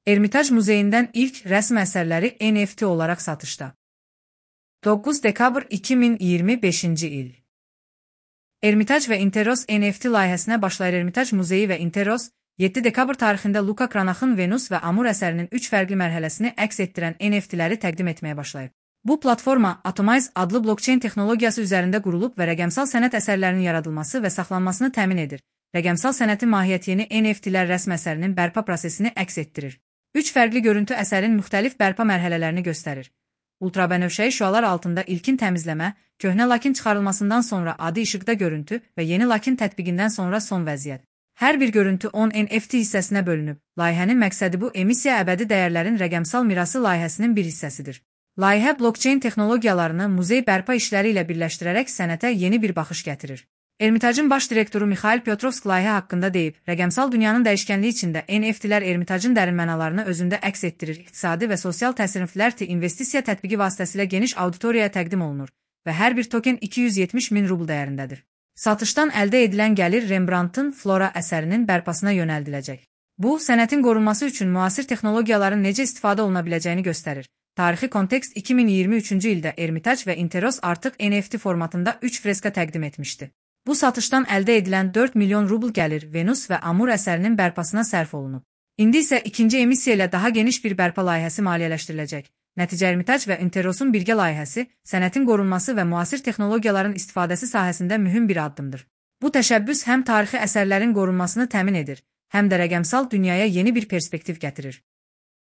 Ermitaj Muzeyindən ilk rəsm əsərləri NFT olaraq satışda. 9 dekabr 2025-ci il. Ermitaj və Interos NFT layihəsinə başlayır. Ermitaj Muzeyi və Interos 7 dekabr tarixində Luka Kranaxın Venus və Amur əsərinin 3 fərqli mərhələsini əks etdirən NFT-ləri təqdim etməyə başlayıb. Bu platforma Atomize adlı blockchain texnologiyası üzərində qurulub və rəqəmsal sənət əsərlərinin yaradılması və saxlanmasını təmin edir. Rəqəmsal sənətin mahiyyətini NFT-lər rəsm əsərinin bərpa prosesini əks etdirir. 3 fərqli görüntü əsərin müxtəlif bərpa mərhələlərini göstərir. Ultrabənövşəyi şüalar altında ilkin təmizləmə, köhnə lakin çıxarılmasından sonra adi işıqda görüntü və yeni lakin tətbiqindən sonra son vəziyyət. Hər bir görüntü 10 NFT hissəsinə bölünüb. Layihənin məqsədi bu emissiya əbədi dəyərlərin rəqəmsal mirası layihəsinin bir hissəsidir. Layihə blockchain texnologiyalarını muzey bərpa işləri ilə birləşdirərək sənətə yeni bir baxış gətirir. Ermitajın baş direktoru Mikhail Pyotrovsk layihə haqqında deyib, rəqəmsal dünyanın dəyişkənliyi içində NFT-lər Ermitajın dərin mənalarını özündə əks etdirir. İqtisadi və sosial təsirli investisiya tətbiqi vasitəsilə geniş auditoriyaya təqdim olunur və hər bir token 270 min rubl dəyərindədir. Satışdan əldə edilən gəlir Rembrandtın Flora əsərinin bərpasına yönəldiləcək. Bu, sənətin qorunması üçün müasir texnologiyaların necə istifadə oluna biləcəyini göstərir. Tarixi kontekst 2023-cü ildə Ermitaj və Interos artıq NFT formatında 3 freska təqdim etmişdi. Bu satışdan əldə edilən 4 milyon rubl gəlir Venus və Amur əsərinin bərpasına sərf olunub. İndi isə ikinci emissiya ilə daha geniş bir bərpa layihəsi maliyyələşdiriləcək. Nəticə Ermitaj və Interos'un birgə layihəsi, sənətin qorunması və müasir texnologiyaların istifadəsi sahəsində mühüm bir addımdır. Bu təşəbbüs həm tarixi əsərlərin qorunmasını təmin edir, həm də rəqəmsal dünyaya yeni bir perspektiv gətirir.